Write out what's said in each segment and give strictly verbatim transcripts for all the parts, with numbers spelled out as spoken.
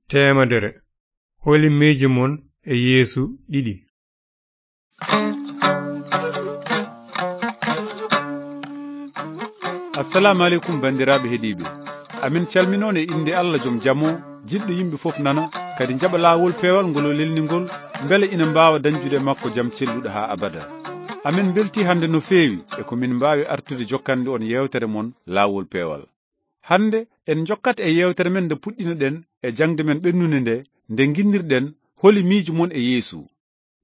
teemedere. Holi miijo mon e Yeesu ɗiɗi. Assalamu aleykum, banndiraaɓe heɗiiɓe. Amin calminoon e innde Allah, jom jam o, jiɗɗo yimɓe fof nana, kadi njaɓa laawol peewal ngol o lelni ngol, mbele ina mbaawa dañjude e makko jam celluɗo haa abada. Amin mbeltii hannde no feewi e ko min mbaawi artude jokkande on yeewtere mon Laawol Peewal. Hannde en njokkat e yeewtere men nde puɗɗino-ɗen e jaŋde men ɓennunde nde, nde nginnir-ɗen holi miijo mon e Yeesu.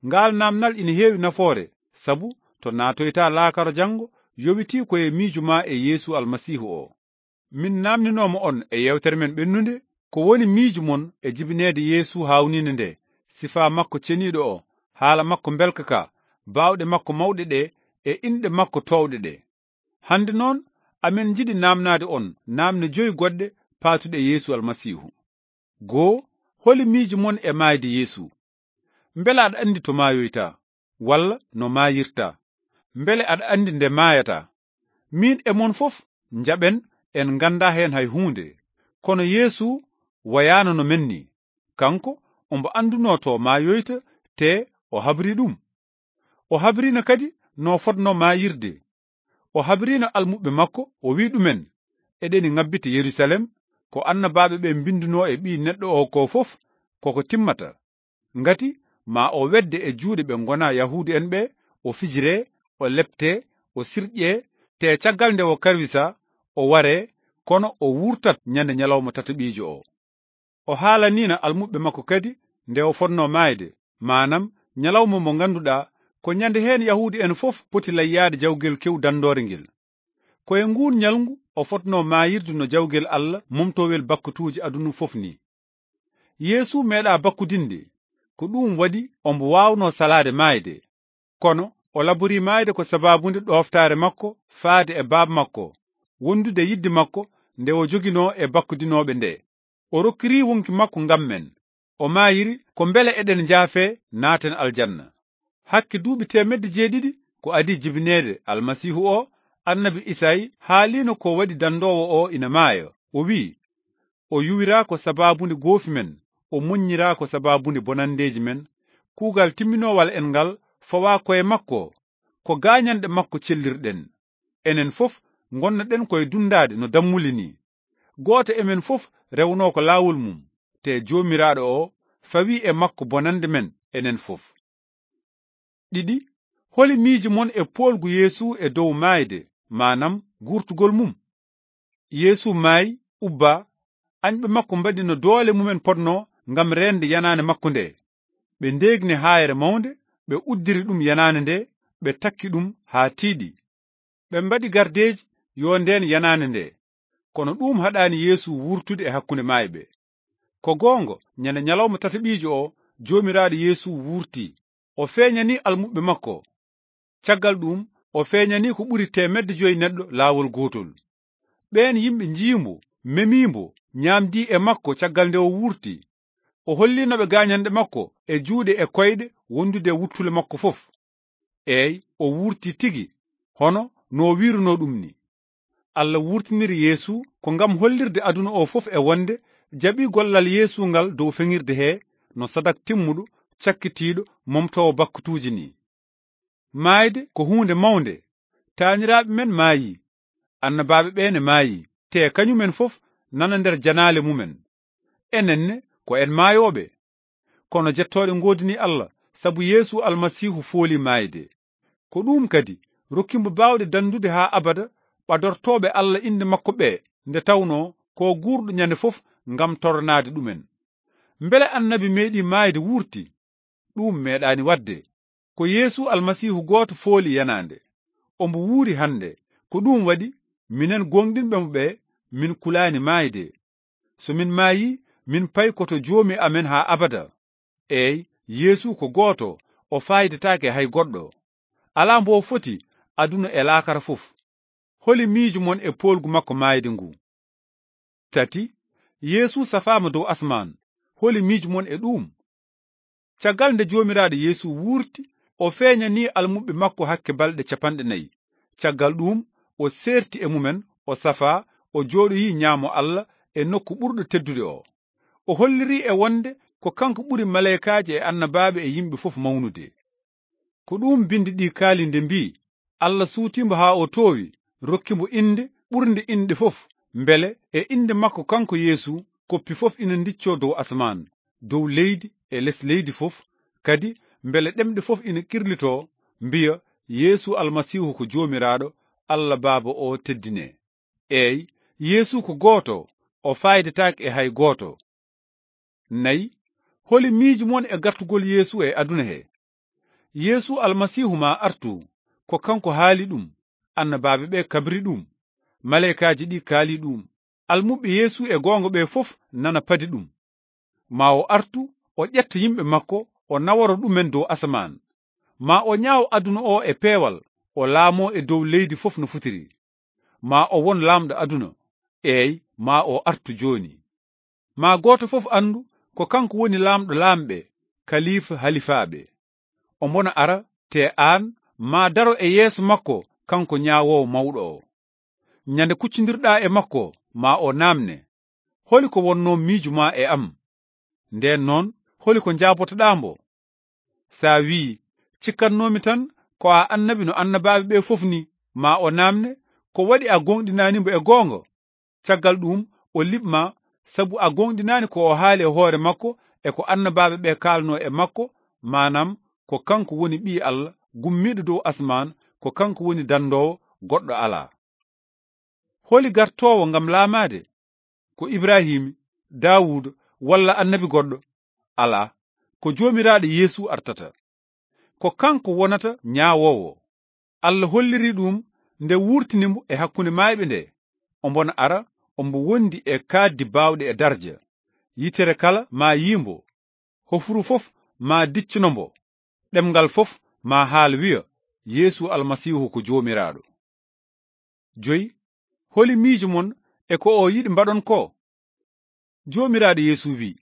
Ngaal naamnal ina heewi nafoore, sabu to naatoyta laakara janngo, yowitii ko e miijo maa e Yeesu Almasiihu o. Min naamninooma on e yeewtere men ɓennunde, ko woni miijo mon e jibineede Yeesu haawniinde nde, sifaa makko ceniiɗo o, haala makko mbelka ka, baawɗe makko mawɗe ɗe, e inɗe makko toowɗe ɗe. Hannde noon, amin njiɗi naamnaade on naamne joyi goɗɗe paatuɗe e Yeesu Almasiihu. Goo, holi miijo mon e maayde Yeesu? Mbele aɗa anndi to maayoyta, walla no maayirta? Mbele aɗa anndi nde maayata? Miin e mon fof njaɓen en nganndaa heen hay huunde. Kono Yeesu wayaano no men ni. Kanko, ombo anndunoo to maayoyta, te o habri ɗum. O habriino kadi no fotnoo maayirde. O habriino almuɓɓe makko, o wi'i ɗumen, eɗeni ngabbita Yerusalem, ko annabaaɓe ɓe mbinndunoo e Ɓii Neɗɗo o ko fof, koko timmata. Ngati ma o wedde e juuɗe ɓe ngonaa Yahuudu'en ɓe, o fijiree, o leptee, o sirƴee, te caggal nde o karwisa, o waree, kono o wurtat ñande ñalawma tataɓiijo o. O haalaniino almuɓɓe makko kadi nde o fotnoo maayde, maanam ñalawma mo ngannduɗaa ko ñande heen Yahuudu'en fof poti layyaade jawgel kew danndoore ngel. Ko e nguun ñalngu o fotnoo maayirde no jawgel Allah momtowel bakkutuuji aduna fof ni. Yeesu meeɗaa bakkudinde, ko ɗuum waɗi ombo waawnoo salaade maayde. Kono o laborii maayde ko sabaabunde ɗooftaare makko faade e Baaba makko, wondude yidde makko nde o joginoo e bakkudinooɓe nde. O rokkirii wonki makko ngam men. O maayiri ko mbele eɗen njaafee, naaten aljanna. Hakke duuɓi teemedde jeeɗiɗi ko adii jibineede Almasiihu o, annabi Isayi haaliino ko waɗi danndoowo o ina maaya. O wi'i, o yuwiraa ko sabaabunde goofi men, o moññiraa ko sabaabunde bonanndeeji men. Kuugal timminoowal en ngal fawaa koye makko, ko gaañanɗe makko cellirɗen. Enen fof ngonnoɗen koye dunndaade no dammuli ni. Gooto e men fof rewnoo ko laawol mum, te Joomiraaɗo o fawii e makko bonannde men enen fof. Ɗiɗi, holi miijo mon e poolgu Yeesu e dow maayde, maanam guurtugol mum? Yeesu maayi, ubbaa, añɓe makko mbaɗi no doole mumen potnoo ngam reende yanaande makko nde. Ɓe ndeegni haayre mawnde, ɓe uddiri ɗum yanaande nde, ɓe takki ɗum haa tiiɗi. Ɓe mbaɗi gardeeji yo ndeen yanaande nde. Kono ɗuum haɗaani Yeesu wuurtude e hakkunde maayɓe. Ko goonga, ñande ñalawma tataɓiijo o, Joomiraaɗo Yeesu wuurtii. O feeñanii almuɓɓe makko. Caggal ɗuum, o feeñanii ko ɓuri teemedde joyi neɗɗo laawol gootol. Ɓeen yimɓe njii mbo, memii mbo, ñaamdii e makko caggal nde o wuurtii. O holliino ɓe gaañanɗe makko e juuɗe e koyɗe wondude e wuttule makko fof. Eey, o wuurtii tigi, hono no o wiirunoo ɗum ni. Allah wuurtiniri Yeesu ko ngam hollirde aduna o fof e wonde jaɓii gollal Yeesu ngal dow feŋirde he no sadak timmuɗo, cakkitiiɗo, momtoowo bakkutuuji ni. Maayde ko huunde mawnde. Taaniraaɓe men maayii, annabaaɓe ɓe ne maayii, te kañumen fof nana nder janaale mumen. Enen ne ko en maayooɓe. Kono jettooɗe ngoodini Allah, sabu Yeesu Almasiihu fooli maayde. Ko ɗuum kadi rokki mbo baawɗe danndude haa abada ɓadortooɓe Allah innde makko ɓe, nde tawnoo ko guurɗo ñande fof ngam toranaade ɗumen. Mbele annabi meeɗii maayde wuurti? Ɗuum meeɗaani waɗde. Ko Yeesu Almasiihu gooto fooli yanaande. Ombo wuuri hannde. Ko ɗuum waɗi, minen gooŋɗinɓe mo ɓe, min kulaani maayde. So min maayii, min paykoto Joomi amen haa abada. Eey, Yeesu ko gooto, o faayidataake hay goɗɗo. Alaa mbo foti aduna e laakara fof. Holi miijo mon e poolgu makko maayde ngu? Tati, Yeesu safaama dow asmaan. Holi miijo mon e ɗuum? Caggal nde Joomiraaɗo Yeesu wuurti, o feeñanii almuɓɓe makko hakke balɗe capanɗe nayi. Caggal ɗuum, o seerti e mumen, o safaa, o jooɗoyii ñaamo Allah e nokku ɓurɗo teddude o. O hollirii e wonde ko kanko ɓuri maleykaaji e annabaaɓe e yimɓe fof mawnude. Ko ɗuum binndi ɗi kaali nde mbii, "Allah suutii mbo haa o toowi, rokki mbo innde ɓurnde inɗe fof, mbele e innde makko kanko Yeesu, koppi fof ina ndiccoo dow asamaan, dow leydi e les leydi fof, kadi mbele ɗemɗe fof ina kirlitoo, mbiya, Yeesu Almasiihu ko Joomiraaɗo, Allah Baaba o teddinee." Eey, Yeesu ko gooto, o faaydetaake e hay gooto. Nayi, holi miijo mon e gartugol Yeesu e aduna he? Yeesu Almasiihu maa artu, ko kanko haali ɗum, annabaaɓe ɓe kabri ɗum, maleykaaji ɗi kaali ɗum, almuɓɓe Yeesu e goonga ɓe fof nana padi ɗum. Maa o artu, o ƴetta yimɓe makko, o naworo ɗumen dow asamaan. Maa o ñaawo aduna o e peewal, o laamoo e dow leydi fof no fotiri. Maa o won laamɗo aduna, eey, maa o artu jooni. Maa gooto fof anndu ko kanko woni laamɗo laamɓe, kalifa halifaaɓe. Ombona ara, te aan, maa daro e yeeso makko kanko ñaawoowo mawɗo o. Ñande kuccondirɗaa e makko, maa o naamne, "Holi ko wonnoo miijo maa e am?" Ndeen noon, holi ko njaabotoɗaa mbo? So a wii, "Cikkatnoomi tan ko a annabi no annabaaɓe ɓe fof ni," maa o naamne, "Ko waɗi a gooŋɗinaani mbo e goonga?" Caggal ɗuum, o liɓ ma, sabu a gooŋɗinaani ko o haali e hoore makko e ko annabaaɓe ɓe kaalnoo e makko, maanaam, ko kanko woni Ɓii Allah, gummiiɗo dow asmaan, ko kanko woni danndoowo, goɗɗo alaa. Holi gartoowo ngam laamaade? Ko Ibrahim, Daawuda, walla annabi goɗɗo? Alaa, ko Joomiraaɗo Yeesu artata. Ko kanko wonata ñaawoowo. Allah hollirii ɗum nde wuurtini mbo e hakkunde maayɓe nde. Ombona ara, ombo wondi e kaaddi baawɗe e darja. Yitere kala maa yii mbo. Hofru fof maa diccino mbo. Ɗemngal fof maa haal wiya, "Yeesu Almasiihu ko Joomiraaɗo." Joyi, holi miijo mon e ko o yiɗi mbaɗon ko? Joomiraaɗo Yeesu wi'i,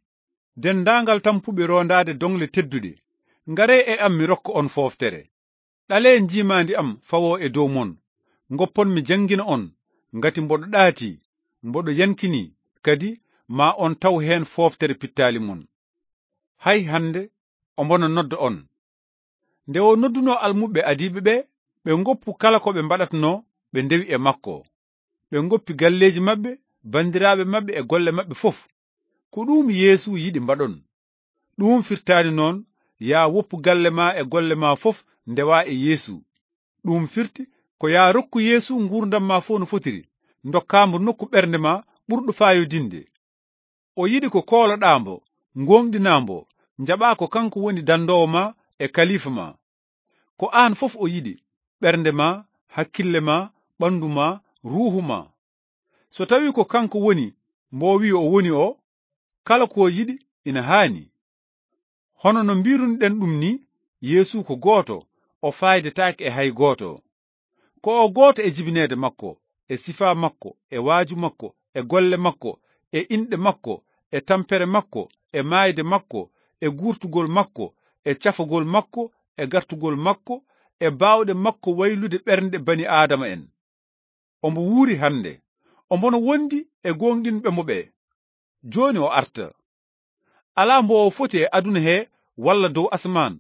"Denndaangal tampuɓe roondaade doŋle tedduɗe, ngaree e am mi rokka on fooftere. Ɗalee njiimaandi am fawoo e dow mon, ngoppon mi janngina on, ngati mboɗo ɗaati, mboɗo yankini, kadi maa on taw heen fooftere pittaali mon." Hay hannde ombona nodda on. Nde o noddunoo almuɓɓe adiiɓe ɓe, ɓe ngoppu kala ko ɓe mbaɗatnoo, ɓe ndewi e makko. Ɓe ngoppi galleeji maɓɓe, banndiraaɓe maɓɓe e golle maɓɓe fof. Ko ɗuum Yeesu yiɗi mbaɗon. Ɗuum firtaani noon, "Yaa woppu galle maa e golle maa fof ndewaa e Yeesu." Ɗuum firti ko yaa rokku Yeesu nguurndam maa fof no fotiri, ndokkaa mbo nokku ɓernde maa ɓurɗo faayodinde. O yiɗi ko kooloɗaa mbo, ngooŋɗinaa mbo, njaɓaa ko kanko woni danndoowo maa e kalifa maa. Ko aan fof o yiɗi, ɓernde maa, hakkille maa, ɓanndu maa, ruuhu maa. So tawii ko kanko woni mbo o wi'i o woni o, kala ko o yiɗi ina haani. Hono no mbiirunoɗen ɗum ni, Yeesu ko gooto, o faaydetaake e hay gooto. Ko o gooto e jibineede makko, e sifaa makko, e waaju makko, e golle makko, e inɗe makko, e tampere makko, e maayde makko, e guurtugol makko, e cafagol makko, e gartugol makko, e baawɗe makko waylude ɓernde bani Aadama en. Ombo wuuri hannde. Ombono wondi e gooŋɗinɓe mo ɓe. Jooni o arta. Alaa mbo o foti e aduna he walla dow asamaan.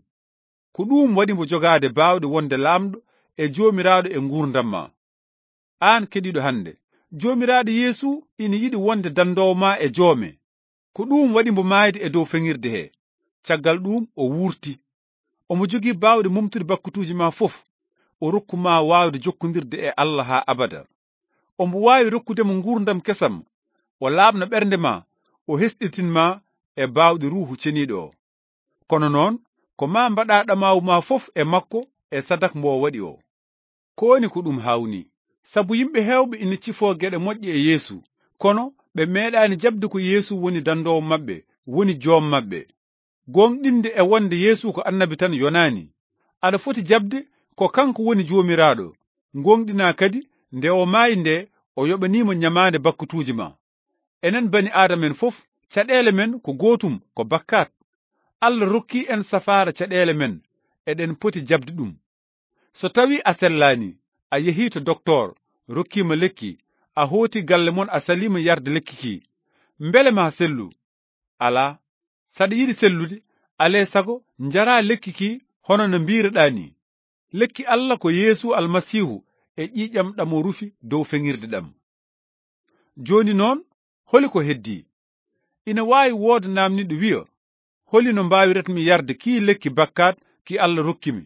Ko ɗuum waɗi mbo jogaade baawɗe wonde laamɗo e Joomiraaɗo e nguurndam maa. Aan keɗiiɗo hannde, Joomiraaɗo Yeesu ina yiɗi wonde danndoowo maa e joome. Ko ɗuum waɗi mbo maayde e dow feŋirde he. Caggal ɗuum o wuurti. Omo jogii baawɗe momtude bakkutuuji maa fof. O rokku maa waawde jokkondirde e Allah haa abada. Omo waawi rokkude mo nguurndam kesam. O laaɓna ɓernde maa, o hesɗitin maa e baawɗe Ruuhu Ceniiɗo o. Kono noon, ko maa mbaɗaa ɗamaawu maa fof e makko e sadak mbo o waɗi o. Ko woni ko ɗum haawnii? Sabu yimɓe heewɓe ina cifoo geɗe moƴƴe e Yeesu, kono ɓe meeɗaani jaɓde ko Yeesu woni danndoowo maɓɓe, woni joom maɓɓe. Gooŋɗinde e wonde Yeesu ko annabi tan yonaani. Aɗa foti jaɓde ko kanko woni Joomiraaɗo. Gooŋɗinaa kadi nde o maayi nde o yoɓaniima ñamaande bakkutuuji maa. Enen bani Aadama en fof, caɗeele men ko gootum, ko bakkaat. Allah rokkii en safaara caɗeele men, eɗen poti jaɓde ɗum. So tawii a sellaani, a yehii to doktoor, rokkiima lekki, a hooti galle mon a saliima yarde lekki ki, mbele maa sellu? Alaa, saɗa yiɗi sellude, alee sago njaraa lekki ki hono no mbiiruɗaa ni. Lekki Alla ko Yeesu Almasiihu e ƴiiƴam ɗam o rufi dow feŋirde ɗam. Jooni noon, holi ko heddii? Ina waawi wooda naamniiɗo wiya, "Holi no mbaawiratmi yarde kii lekki bakkaat ki Alla rokkimi?"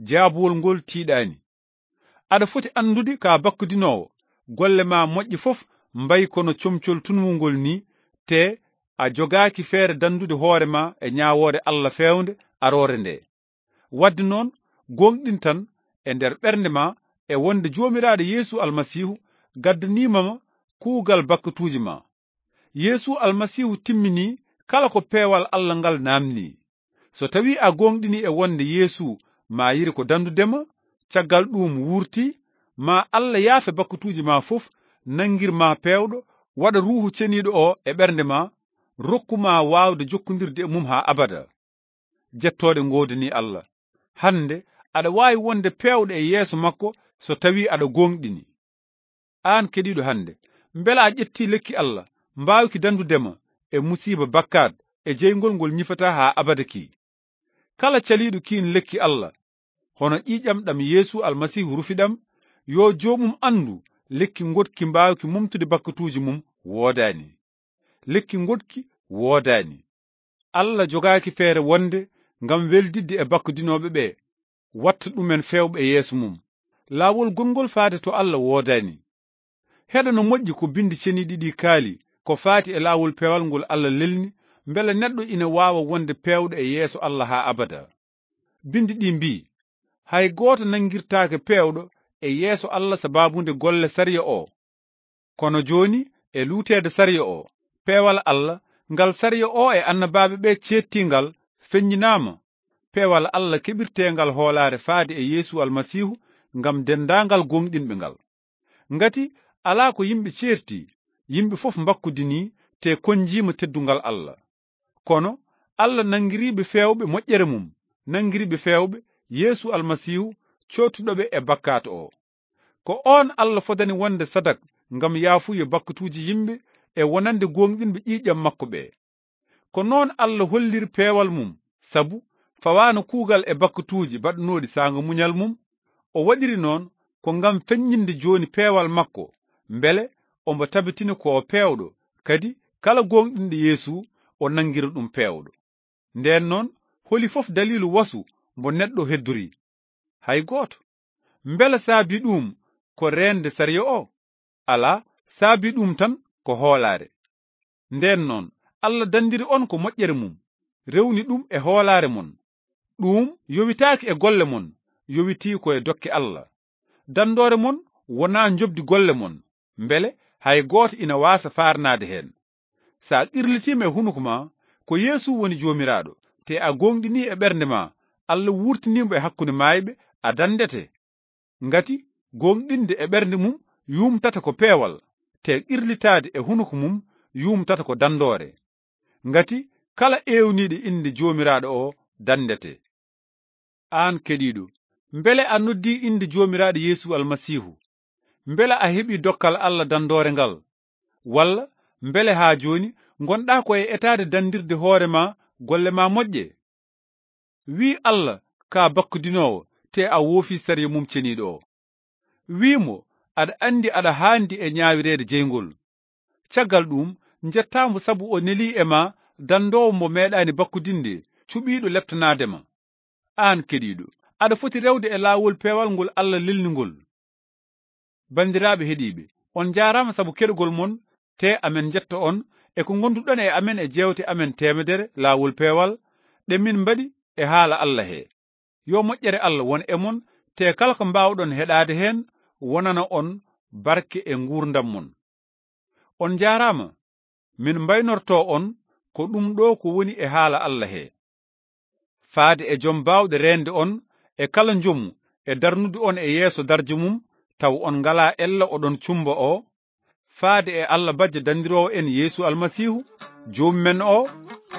Jaabuwol ngol tiiɗaani. Aɗa foti anndude ka bakkudinoowo, golle ma moƴƴe fof mbayi kono comcol tunwungol ni, te a jogaaki feere danndude hoore ma e ñaawoore Alla feewnde aroore nde. Wadde noon, gooŋɗin tan e nder ɓernde ma e wonde Joomiraaɗo Yeesu Almasiihu gaddaniima ma kuugal bakkatuuji ma. Yeesu Almasiihu timminii kala ko peewal Alla ngal naamnii. So tawii a gooŋɗinii e wonde Yeesu maayiri ko danndude ma, caggal ɗuum wuurtii, ma Alla yaafe bakkatuuji ma fof, nanngir ma peewɗo, waɗa Ruuhu Ceniiɗo o e ɓernde ma, rokku ma waawde jokkondirde e mum haa abada. Jettooɗe ngoodanii Alla. Hannde aɗa waawi wonde peewɗo e yeeso makko so tawii aɗa gooŋɗini. Aan keɗiiɗo hannde, mbela a ƴettii lekki Alla mbaawki danndude ma e musiiba bakkaat e jeyngol ngol ñifataa haa abada ki? Kala caliiɗo kiin lekki Alla, hono ƴiiƴam ɗam Yeesu Almasiihu rufi ɗam, yo joomum anndu lekki ngoɗki mbaawki momtude bakkatuuji mum woodaani. Lekki ngoɗki woodaani. Alla jogaaki feere wonde ngam weldidde e bakkudinooɓe ɓe, watta ɗumen feewɓe e yeeso mum. Laawol gonngol faade to Alla woodaani. Heɗo no moƴƴi ko Binndi Ceniiɗi ɗi kaali ko faati e laawol peewal ngol Alla lelni, mbele neɗɗo ina waawa wonde peewɗo e yeeso Alla haa abada. Binndi ɗi mbii, "Hay gooto nanngirtaake peewɗo e yeeso Alla sabaabu nde golle sariya o." Kono jooni, e luuteede sariya o, peewal Alla, ngal sariya o e annabaaɓe ɓe ceettii ngal, feññinaama. Peewal Alla keɓirteengal hoolaare faade e Yeesu Almasiihu ngam denndaangal gooŋɗinɓe ngal. Ngati alaa ko yimɓe ceerti, yimɓe fof mbakkudinii te konnjiima teddungal Alla. Kono Alla nanngiriiɓe feewɓe moƴƴere mum, nanngiriiɓe feewɓe Yeesu Almasiihu, cootuɗo ɓe e bakkaat o. Ko oon Alla fodani wonde sadak ngam yaafuye bakkatuuji yimɓe e wonande gooŋɗinɓe ƴiiƴam makko ɓe. Ko noon Alla holliri peewal mum, sabu fawaano kuugal e bakkatuuji baɗnooɗi saanga muñal mum. O waɗiri noon ko ngam feññinde jooni peewal makko, mbele omo tabitina ko o peewɗo, kadi kala gooŋɗinɗo Yeesu, o nanngira ɗum peewɗo. Ndeen noon, holi fof daliilu wasu mbo neɗɗo heddorii? Hay gooto. Mbela saabi ɗum ko reende sariya o? Alaa, saabi ɗum tan ko hoolaare. Ndeen noon, Alla danndiri on ko moƴƴere mum, rewni ɗum e hoolaare mon. Ɗum yowitaaki e golle mon, yowitii ko e dokke Alla. Danndoore mon wonaa njoɓdi golle mon, mbele hay gooto ina waasa faarnaade heen. So a qirlitiima e hunuko ma ko Yeesu woni Joomiraaɗo, te a gooŋɗinii e ɓernde ma Alla wuurtinii mo e hakkunde maayɓe, a danndete. Ngati gooŋɗinde e ɓernde mum yuumtata ko peewal, te qirlitaade e hunuko mum yuumtata ko danndoore. Ngati kala eewniiɗo innde Joomiraaɗo o danndete. Aan keɗiiɗo, mbele a noddii innde Joomiraaɗo Yeesu Almasiihu? Mbele a heɓii dokkal Alla danndoore ngal? Walla mbele haa jooni ngonɗaa ko e etaade danndirde hoore ma golle ma moƴƴe? Wii Alla ka bakkudinoowo, te a woofii sariya mum ceniiɗo o. Wii mo aɗa anndi aɗa haandi e ñaawireede jeyngol. Caggal ɗum, njettaa mo sabu o nelii e ma danndoowo mo meeɗaani bakkudinde, cuɓiiɗo leptanaade ma. Aan keɗiiɗo, aɗa foti rewde e laawol peewal ngol Alla lelni ngol. Banndiraaɓe heɗiiɓe, on njaaraama sabu keɗogol mon, te amen njetta on e ko ngonduɗon e amen e jeewte amen teemedere laawol peewal ɗe min mbaɗi e haala Alla he. Yo moƴƴere Alla won e mon, te kala ko mbaawɗon heɗaade heen wonana on barke e nguurndam mon. On njaaraama, min mbaynorto on ko ɗum ɗo ko woni e haala Alla he. Faade e Jom Baawɗe reende on e kala njomu e darnude on e yeeso darja mum, taw on ngalaa ella oɗon cumba o, faade e Alla Bajjo Danndiroowo en Yeesu Almasiihu, Joomi men o,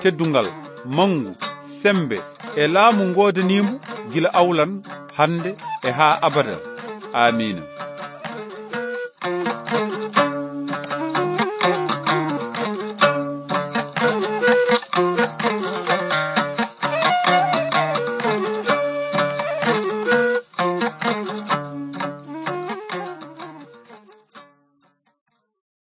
teddungal, manngu, semmbe e laamu ngoodaniimo gila awlan, hannde e haa abada. Aamiina.